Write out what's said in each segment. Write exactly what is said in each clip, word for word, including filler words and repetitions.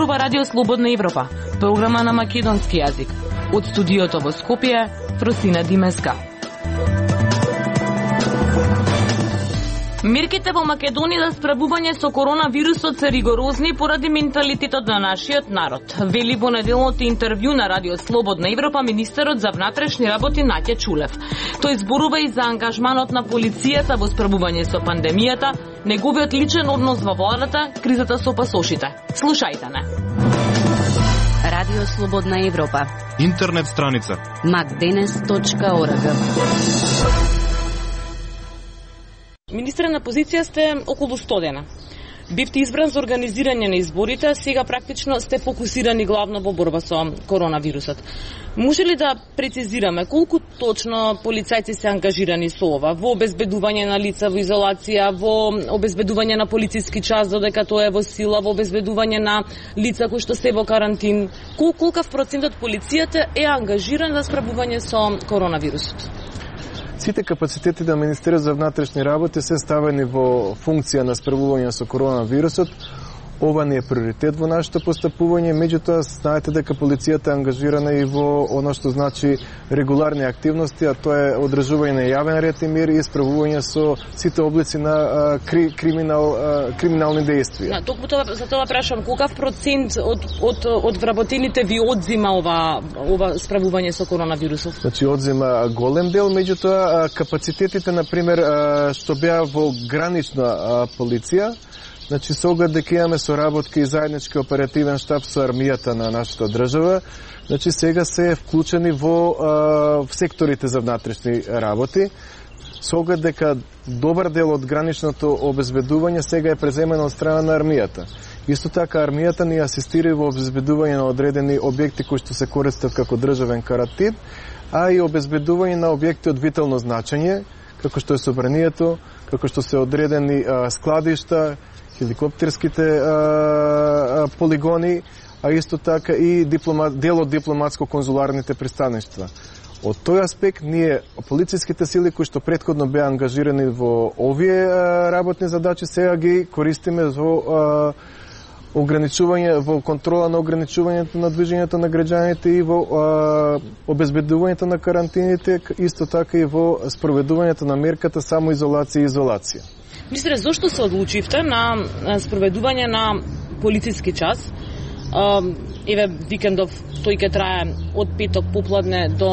ова Радио Слободна Европа, програма на македонски јазик. Од студиото во Скопје, Фросина Димеска. Мерките во Македонија за справување со коронавирусот се ригорозни поради менталитетот на нашиот народ. Вели во неделното интервју на Радио Слободна Европа министерот за внатрешни работи Наќа Чулев. Тој зборува и за ангажманот на полицијата во справување со пандемијата, неговиот личен однос во владата, кризата со пасошите. Слушајте не. Радио Слободна Европа. Интернет страница макденес точка орг. Министре, на позиција сте околу сто дена. Бивте избран за организирање на изборите, а сега практично сте фокусирани главно во борба со коронавирусот. Може ли да прецизираме колку точно полицајци се ангажирани со ова? Во обезбедување на лица во изолација, во обезбедување на полициски час додека тоа е во сила, во обезбедување на лица кои што се во карантин? Кол, колкав процент од полицијата е ангажиран за справување со коронавирусот? Сите капацитети на Министерството за внатрешни работи се ставени во функција на справување со коронавирусот. Ова не е приоритет во нашето постапување, меѓутоа знаете дека полицијата е ангажирана и во оно што значи регуларни активности, а тоа е одржување на јавен ред и мир и справување со сите облици на а, кри, криминал, а, криминални дејствија. На, токму тоа, за тоа прашам, колкав процент од, од, од вработените ви одзима ова, ова справување со коронавирусот? Значи, одзима голем дел, меѓутоа капацитетите, например, што беа во гранична полиција, значи, со оглед дека имаме соработка и заеднички оперативен штаб со армијата на нашата држава, значи сега се вклучени во а, в секторите за внатрешни работи, со оглед дека добар дел од граничното обезбедување сега е преземено од страна на армијата. Исто така армијата ни асистира во обезбедување на одредени објекти кои што се користат како државен карантин, а и обезбедување на објекти од витално значење, како што е собранието, како што се одредени а, складишта, хеликоптерските а, а, полигони, а исто така и диплома, дел од дипломатско-конзуларните пристаништа. Од тој аспект, ние, полициските сили кои што претходно беа ангажирани во овие а, работни задачи, сега ги користиме во а, ограничување, во контрола на ограничувањето на движењето на граѓаните и во а, обезбедувањето на карантините, исто така и во спроведувањето на мерката самоизолација и изолација. Министре, зошто се одлучивте на спроведување на полициски час? Еве, викендов тој ќе трае од петок попладне до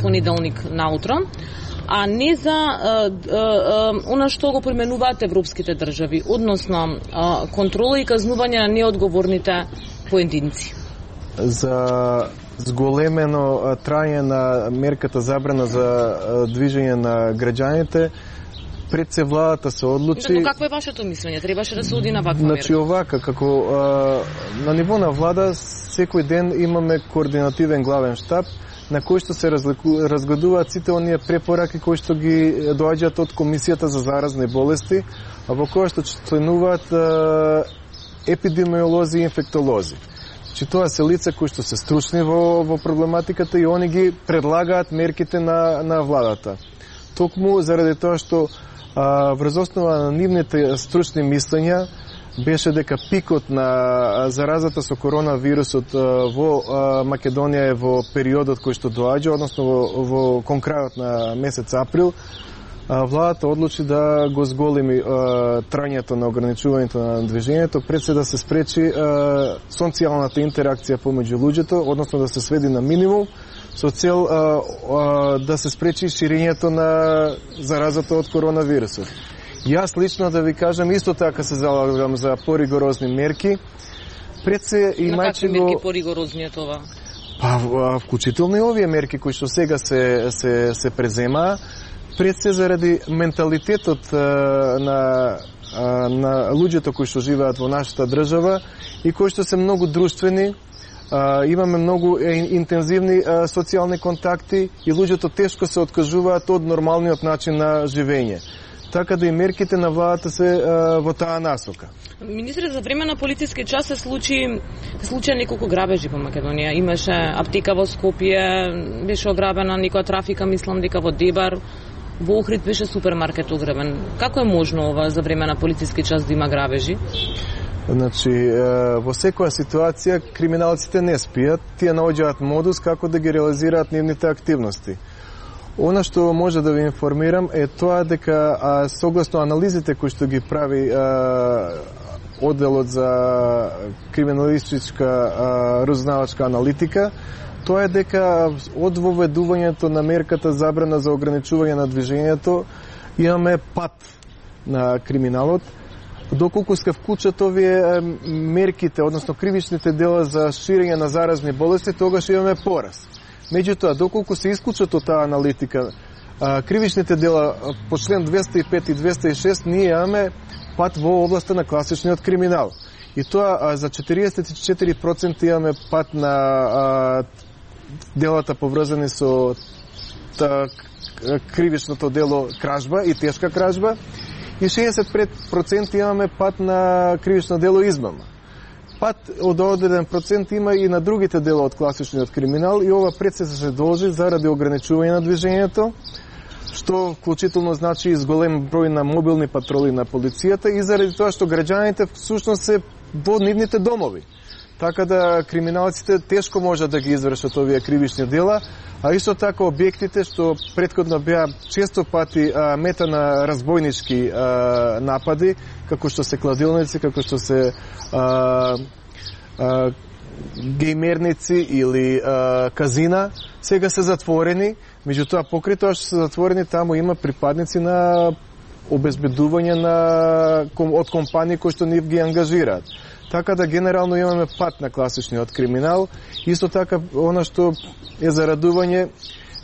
понеделник наутро, а не за а, а, она што го применуваат европските држави, односно а, контрола и казнување на неодговорните поединци. За зголемено трајање на мерката забрана за движење на граѓаните, пред се владата се одлучи. Но какво е вашето мислење? Требаше да се оди на ваква мерка? Значи овака, како а, на ниво на влада секој ден имаме координативен главен штаб на кој што се разгледуваат сите оние препораки кои што ги доаѓаат од Комисијата за заразни болести, а во која што членуваат а, епидемиолози и инфектолози. Значи тоа се лица кои што се стручни во, во проблематиката и они ги предлагаат мерките на, на владата. Токму заради тоа што а, врз основа на нивните стручни мислења беше дека пикот на заразата со коронавирусот во Македонија е во периодот кој што доаѓа, односно во, во кон крајот на месец април, владата одлучи да го зголеми трајањето на ограничувањето на движењето, пред се да се спречи социјалната интеракција помеѓу луѓето, односно да се сведи на минимум, со цел а, а, да се спречи ширењето на заразата од коронавирусот. Јас лично да ви кажам, исто така се залагам за поригорозни мерки. Пред се имајќи На какви мерки поригорозни е това? Па, вклучително и овие мерки кои што сега се, се, се презема, пред се заради менталитетот а, на, а, на луѓето кои што живеат во нашата држава и кои што се многу друштвени, а, имаме многу интензивни а, социјални контакти и луѓето тешко се откажуваат од нормалниот начин на живење. Така да и мерките на владата се а, во таа насока. Министре, за време на полициски час се случи се случи неколку грабежи во Македонија. Имаше аптека во Скопје, беше ограбена, некоја трафика, мислам дека во Дебар, во Охрид беше супермаркет ограбен. Како е можно ова за време на полициски час да има грабежи? Значи, во секоја ситуација криминалците не спијат, тие наоѓаат модус како да ги реализираат нивните активности. Она што може да ви информирам е тоа дека а, согласно анализите кои што ги прави а, одделот за криминалистичка разузнавачка аналитика, тоа е дека од воведувањето на мерката забрана за ограничување на движењето имаме пат на криминалот. Доколку се вклучат овие мерките, односно кривичните дела за ширење на заразни болести, тогаш имаме пораст. Меѓутоа, доколку се исклучат од таа аналитика кривичните дела по член двеста и пет и двеста и шест, ние имаме пат во областа на класичниот криминал. И тоа за четириесет и четири проценти имаме пат на а, делата поврзани со та, кривичното дело кражба и тешка кражба, и шеесет и пет проценти имаме пат на кривично дело измама. Пат од одреден процент има и на другите дела од класичниот криминал, и ова пред се се должи заради ограничување на движењето, што вклучително значи изголем број на мобилни патроли на полицијата, и заради тоа што граѓаните всушност се во нивните домови. Така да криминалците тешко можат да ги извршат овие кривични дела, а исто така објектите што претходно беа често пати а, мета на разбойнички а, напади, како што се кладилници, како што се а, а, геймерници или а, казина, сега се затворени. Меѓутоа, покрај тоа што се затворени, таму има припадници на обезбедување на, од компании кои што нив ги ангажираат. Така да генерално имаме пат на класичниот криминал. Исто така, она што е за радување,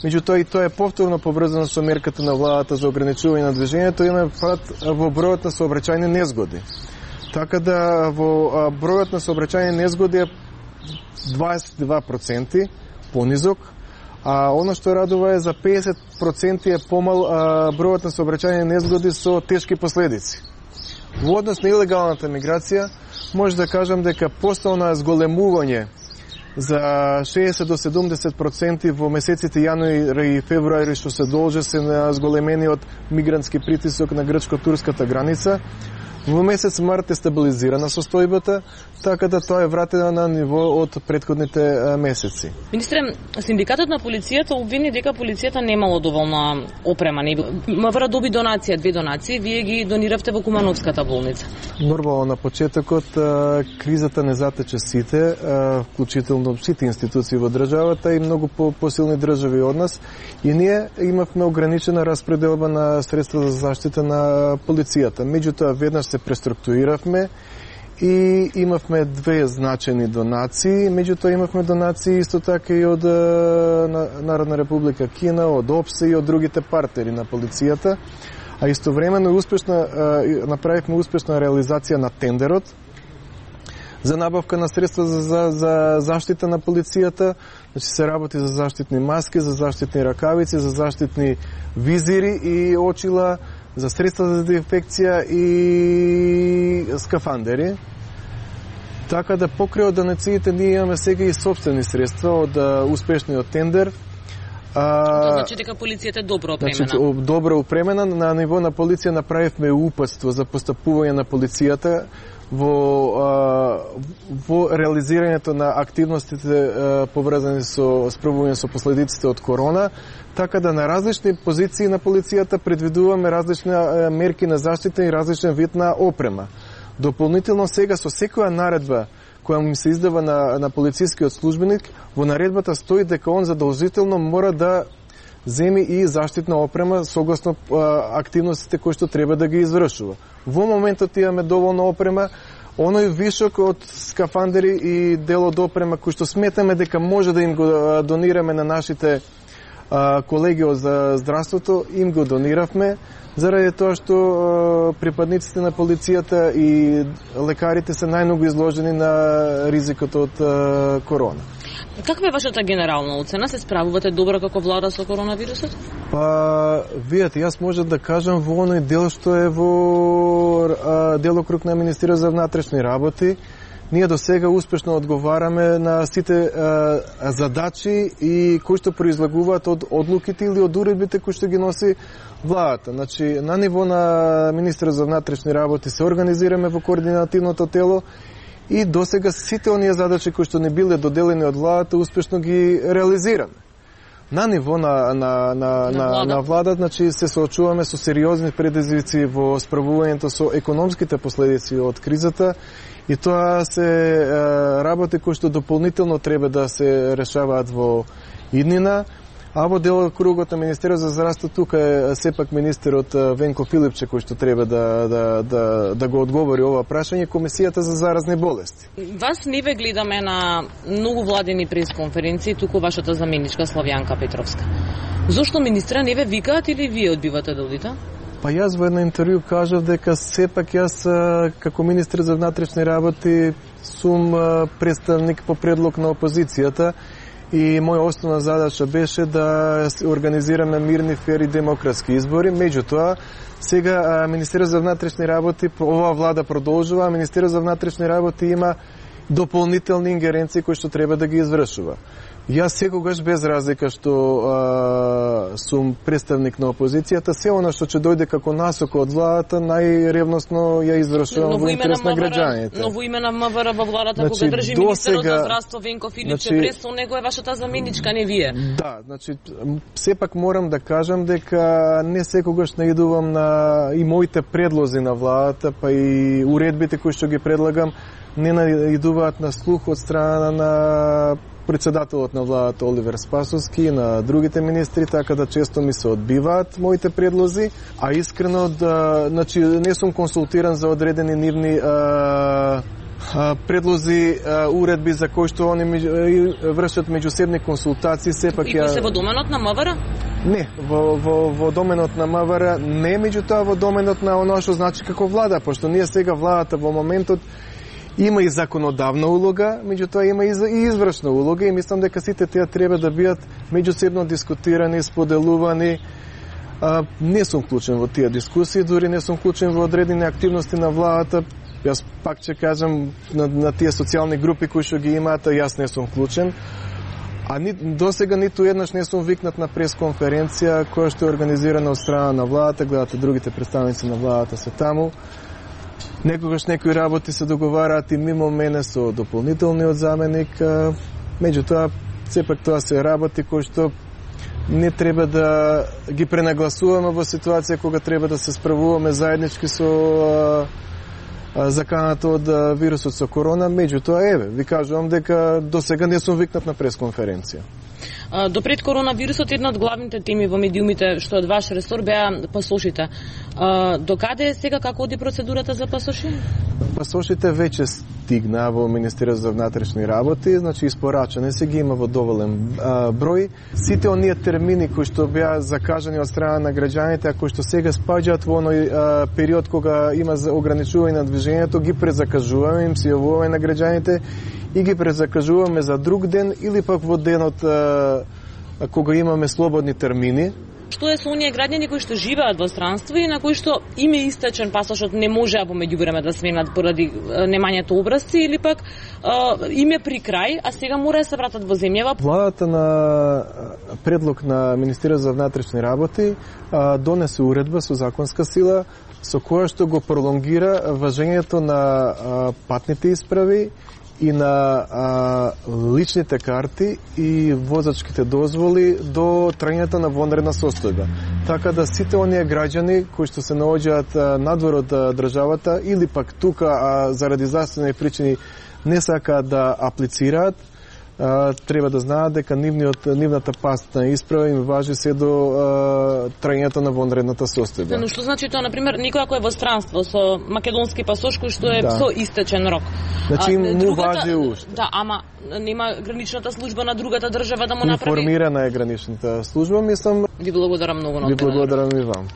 меѓутоа и тоа е повторно поврзано со мерката на владата за ограничување на движењето, имаме пат во бројот на сообраќајни незгоди. Така да во бројот на сообраќајни незгоди е дваесет и два проценти понизок, а оно што радува е за педесет проценти е помал а, бројот на сообраќајни незгоди со тешки последици. Во однос на илегалната миграција, може да кажам дека постојано зголемување за шеесет до седумдесет проценти во месеците јануари и февруари што се должи се на зголемени од мигрантски притисок на грчко-турската граница. Во месец март е стабилизирана состојбата, така да тоа е вратено на ниво од претходните месеци. Министре, синдикатот на полицијата обвини дека полицијата немало доволна опрема. МВР доби донација, две донации, вие ги дониравте во Кумановската болница. Нормално на почетокот кризата не затече сите, вклучително сите институции во државата и многу посилни држави од нас, и ние имавме ограничена распределба на средства за заштита на полицијата. Меѓутоа, веднаш се преструктуриравме и имавме две значени донации. Меѓутоа имавме донации исто така и од Народна република Кина, од ОПСЕ и од другите партнери на полицијата. А истовремено успешна направивме успешна реализација на тендерот за набавка на средства за, за, за заштита на полицијата. Значи се работи за заштитни маски, за заштитни ракавици, за заштитни визири и очила, за средства за дезинфекција и скафандери. Така да покрај од донациите ние имаме сега и собствени средства од успешниот тендер. Тоа значи дека полицијата е добро опремена. Значи, добро опремена. На ниво на полиција направивме упатство за постапување на полицијата во, а, во реализирањето на активностите а, поврзани со справување со последиците од корона, така да на различни позиции на полицијата предвидуваме различни а, мерки на заштита и различен вид на опрема. Дополнително сега со секоја наредба која му се издава на, на полицискиот службеник, во наредбата стои дека он задолжително мора да земи и заштитна опрема согласно а, активностите кои што треба да ги извршува. Во моментот имаме доволно опрема, оној вишок од скафандери и дел од опрема кој што сметаме дека може да им го донираме на нашите а, колеги од здравството, им го дониравме, заради тоа што а, припадниците на полицијата и лекарите се најмногу изложени на ризикот од а, корона. Каква е вашата генерална оцена? Се справувате добро како влада со коронавирусот? Па, видете, јас можам да кажам во оној дел што е во а, делокруг на Министерството за внатрешни работи. ние до сега успешно одговараме на сите а, задачи и кои што произлегуваат од одлуките или од уредбите кои што ги носи владата. Значи, на ниво на министерот за внатрешни работи се организираме во координативното тело и до сега сите оние задачи кои што не биле доделени од владата успешно ги реализираме. На ниво на, на, на, на, на, на влада, значи, се соочуваме со сериозни предизвици во справувањето со економските последици од кризата и тоа се е, работи кои што дополнително треба да се решаваат во иднина. А во делокругот на Министерот за здравство тука е сепак министерот Венко Филипче кој што треба да, да, да, да го одговори ова прашање, Комисијата за заразни болести. Вас не ве гледаме на многу владени пресконференции, туку вашата заменичка Славјанка Петровска. Зошто министра не ве викаат или вие одбивате да одите? Па јас во едно интервју кажав дека сепак јас како министер за внатрешни работи сум представник по предлог на опозицијата и моја основна задача беше да организираме мирни, фери, демократски избори. Меѓутоа, сега Министерот за внатрешни работи, оваа влада продолжува, а Министерот за внатрешни работи има дополнителни ингеренции кои што треба да ги извршува. Јас секогаш без разлика што а, сум представник на опозицијата, се она што ќе дојде како насока од владата, најревносно ја извршувам во интерес на граѓаните. Но во име на МВР во владата, значи, кога држи министерот за здравство Венко Филипче, значи, пресо него е вашата заменичка, не вие. Да, значи сепак морам да кажам дека не секогаш наидувам на и моите предлози на владата, па и уредбите кои што ги предлагам не наидуваат на слух од страна на председателот на владата Оливер Спасовски и на другите министри, така да често ми се одбиваат моите предлози, а искрено да, значи, не сум консултиран за одредени нивни а, а, предлози, а, уредби за кои што они вршат меѓусебни консултации, сепак и кои се во доменот на МВР? Не, во, во, во доменот на МВР не, меѓутоа во доменот на оно што значи како влада, пошто ние сега владата во моментот има и законодавна улога, меѓутоа има и извршна улога и мислам дека сите тие треба да бидат меѓусебно дискутирани, споделувани. А, не сум вклучен во тие дискусии, дури не сум вклучен во одредени активности на владата. Јас пак ќе кажам на, на тие социјални групи кои што ги имаат, јас не сум вклучен. А ни, до сега ниту еднаш не сум викнат на пресконференција која што е организирана од страна на владата, гледате другите представници на владата се таму. Некогаш некои работи се договараат и мимо мене со дополнителниот заменик, меѓутоа сепак тоа се работи кои што не треба да ги пренагласуваме во ситуација кога треба да се справуваме заеднички со заканата од вирусот со корона, меѓутоа еве, ви кажувам дека до сега не сум викнат на пресконференција. До пред коронавирусот една од главните теми во медиумите што од ваш ресор беа пасошите. До каде е сега, како оди процедурата за пасоши? Пасошите веќе стигна во Министерството за внатрешни работи, значи испорачани се ги има во доволен а, број. Сите оние термини кои што беа закажани од страна на граѓаните, а кои што сега спаѓаат во оној а, период кога има ограничување на движењето, ги презакажуваме, им се јавуваме на граѓаните и ги презакажуваме за друг ден или пак во денот а, кога имаме слободни термини. Што е со оние граѓани кои што живеат во странство и на кои што им е истечен пасошот, не можеа во меѓувреме да сменат поради немањето образци или пак им е при крај, а сега мора да се вратат во земјава? Владата на предлог на Министерството за внатрешни работи донесе уредба со законска сила со која што го пролонгира важењето на патните исправи и на а, личните карти и возачките дозволи до трајањето на вонредна состојба. Така да сите оние граѓани кои што се наоѓаат надвор од државата или пак тука а, заради здравствени причини не сакаат да аплицираат, а, треба да знаат дека нивниот нивната патна исправа им важи се до а, трајањето на вонредната состојба. Но што значи тоа, на пример, никој ако е во странство со македонски пасош кој што е да. Со истечен рок. Значи му другата, важи уште. Да, ама нема граничната служба на другата држава да му направи. Информирана е граничната служба, мислам. Ви благодарам многу на Ви благодарам и вам.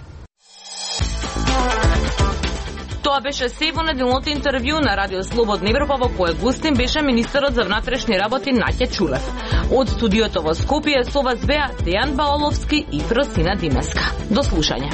Тоа беше се во неделното интервју на Радио Слободна Европа, во кое гостин беше министерот за внатрешни работи Наќа Чулев. Од студиото во Скопје со вас беа Дејан Баоловски и Фросина Димеска. До слушање.